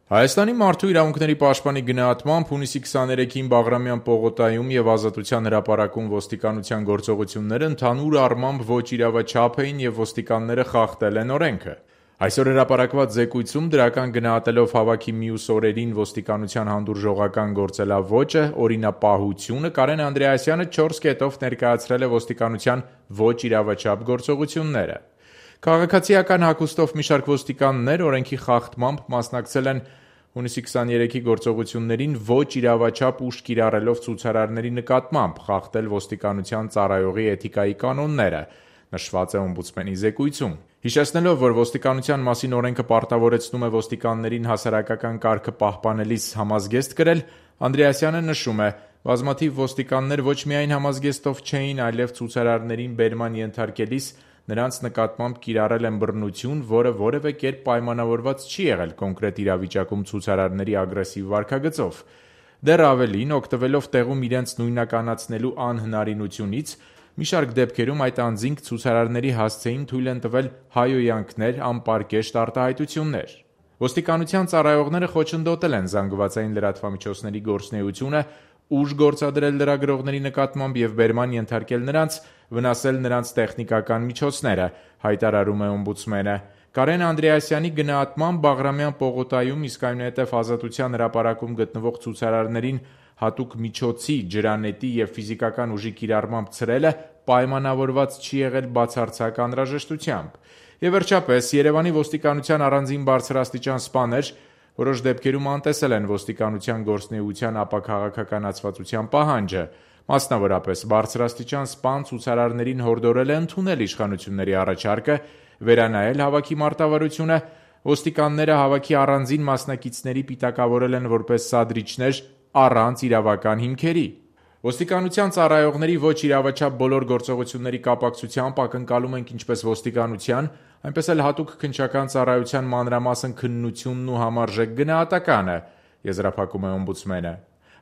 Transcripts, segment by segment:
Հայաստանի մարդու իրավունքների պաշտպանի գնահատմամբ հունիսի 23-ին Բաղրամյան պողոտայում և Ազատության հրապարակում ոստիկանության գործողությունները ընդհանուր առմամբ ոչ իրավաչափ էին և ոստիկանները խախտել են օրենքը։ Այսօր հրապարակված զեկույցում դրական գնահատելով հավաքի մյուս օրերին ոստիկանության հանդուրժողական գործելավոճը, օրինապահությունը, Կարեն Անդրեասյանը 4 կետով ներկայացրել է ոստիկանության ոչ իրավաչափ գործողությունները։ Քաղաքացիական հագուստով մի շարք ոստիկաններ օրենքի խախտմամբ մասնակցել են հունիսի 23-ի գործողություններին ոչ իրավաչափ ուժ կիրառելով ցուցարարների նկատմամբ, խախտել ոստիկանության ծառայողի էթիկայի կանոնները, նշված է օմբուդսմենի զեկույցում։ Հիշեցնելով, որ ոստիկանության մասին օրենքը պարտավորեցնում է ոստիկաններին հասարակական կարգը պահպանելիս համազգեստ կրել, Անդրեասյանը նշում է. բազմաթիվ ոստիկաններ ոչ միայն համազգեստով չէին, այլև ցուցարարներին բերման ենթարկելիս նրանց նկատմամբ կիրառել են բռնություն, որը որևէ կերպ պայմանավորված չի եղել կոնկրետ իրավիճակում ցուցարարների ագրեսիվ վարքագծով։ Դեռ ավելին, օգտվելով տեղում իրենց նույնականացնելու անհնարինությունից, մի շարք դեպքերում այդ անձինք ցուցարարների հասցեին թույլ են տվել հայհոյանքներ, անպարկեշտ արտահայտություններ։ Ոստիկանության ծառայողները խոչընդոտել են զանգվածային լրատվամիջոցների գործունեությունը, ուժ գործադրել լրագրողների նկատմամբ և բերման ենթարկել նրանց, վնասել նրանց տեխնիկական միջոցները, հայտարարում է օմբուդսմենը։ Կարեն Անդրեասյանի գնահատմամբ Բաղրամյան պողոտայում, իսկ այնուհետև Ազատության հրապարակում գտնվող ցուցարարներին հատուկ միջոցի, ջրանետի և ֆիզիկական ուժի կիրառմամբ ցրելը պայմանավորված չի եղել բացարձակ անհրաժեշտությամբ։ Եվ վերջապես, Երևանի ոստիկանության առանձին բարձրաստիճան սպաներ որոշ դեպքերում անտեսել են ոստիկանության գործունեության ապաքաղաքականացվածության պահանջը։ Մասնավորապես, բարձրաստիճան սպան ցուցարարներին հորդորել է ընդունել իշխանությունների առաջարկը, վերանայել հավաքի մարտավարությունը, ոստիկանները հավաքի առանձին մասնակիցների պիտակավորել են որպես սադրիչներ առանց իրավական հիմքերի։ Ոստիկանության ծառայողների ոչ իրավաչափ բոլոր գործողությունների կապակցությամբ ակնկալում ենք ինչպես ոստիկանության, այնպես էլ հատուկ քննչական ծառայության մանրամասն քննությունն ու համարժեք գնահատականը, եզրափակում է օմբուդսմենը։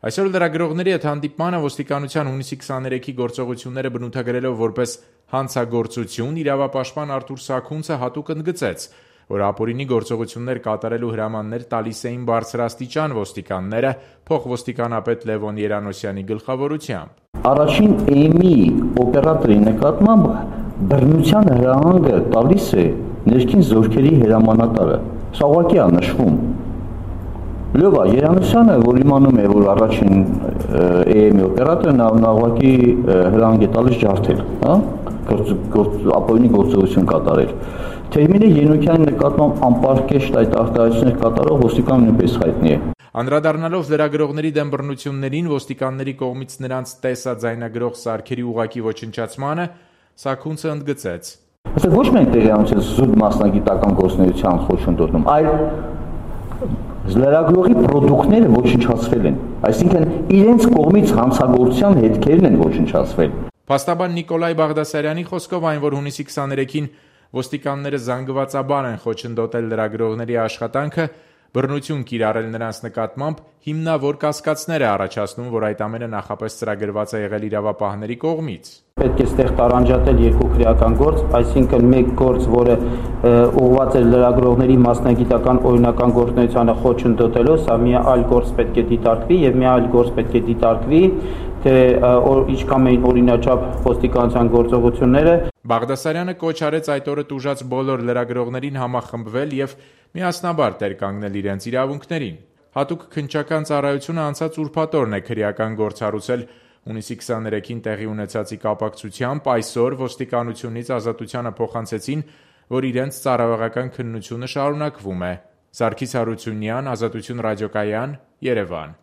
Այսօր լրագրողների հետ հանդիպմանը ոստիկանության հունիսի 23-ի գործողությունները բնութագրելով որպես հանցագործություն, իրավապաշտպան Արթուր Սաքունցը հատուկ ընդգծեց, որ ապօրինի գործողություններ կատարելու հրամաններ տալիս էին բարձրաստիճան ոստիկանները փոխոստիկանապետ Լևոն Երանոսյանի գլխավորությամբ։ Առաջին էմի օպերատորի նկատմամբ բռնության հրահանգը տալիս է ներքին զորքերի հրամանատարը։ Սա ուղղակի է նշվում։ Լյովա Երանոսյանը, որ իմանում է, որ առաջին էմի օպերատորը նա ուղղակի հրահանգ է տալիս ջարդել, ապօրինի գործողություն կատարել։ Թերմինը Ենոքյանի նկատմամբ անպարկեշտ այդ արտահայտություններ կատարող ոստիկան նույնպես հայտնի է։ Անդրադառնալով լրագրողների դեմ բռնություններին, ոստիկանների կողմից նրանց տեսաձայնագրող սարքերի ուղղակի ոչնչացմանը, Սաքունցը ընդգծեց. Ոչ միայն տեղյակություն զուտ մասնագիտական գործունեության խոչընդոտում, այլ լրագրողի պրոդուկտները ոչնչացվել են, այսինքն իրենց կողմից հանցագործության հետքերն են ոչնչացվել։ Փաստաբան Նիկոլայ Բաղդասարյանի խոսքով այն, որ հունիսի 23-ին ոստիկանները զանգվածաբար են խոչընդոտել լրագրողների աշխատանքը, բռնություն կիրառել նրանց նկատմամբ, հիմնավոր կասկածներ է առաջացնում, որ այդ ամենը նախապես ծրագրված է եղել իրավապահների կողմից։ Պետք է ստեղ տարանջատել երկու քրեական գործ, այսինքն մեկ գործ, որը ուղղված է լրագրողների մասնագիտական օրինական գործունեությանը խոչընդոտելու, սա մի այլ գործ պետք է դիտարկվի եւ մի այլ գործ պետք է դիտարկվի, թե ինչքան էին օրինաչափ ոստիկանության գործողությունները։ Բաղդասարյանը կոչ արեց այդ օրը տուժած բոլոր լրագրողներին համախմբվել եւ միասնաբար տեր կանգնել իրենց իրավունքներին։ Հատուկ քննչական ծառայությունը անցած ուրբաթ օրն է քրեական գործ հարուցել հունիսի 23-ին տեղի ունեցածի կապակցությամբ, այսօր ոստիկանությունից Ազատությանը փոխանցեցին, որ իրենց ծառայողական քննությունը շարունակվում է։ Սարգիս Հարությունյան, Ազատություն ռադիոկայան, Երևան։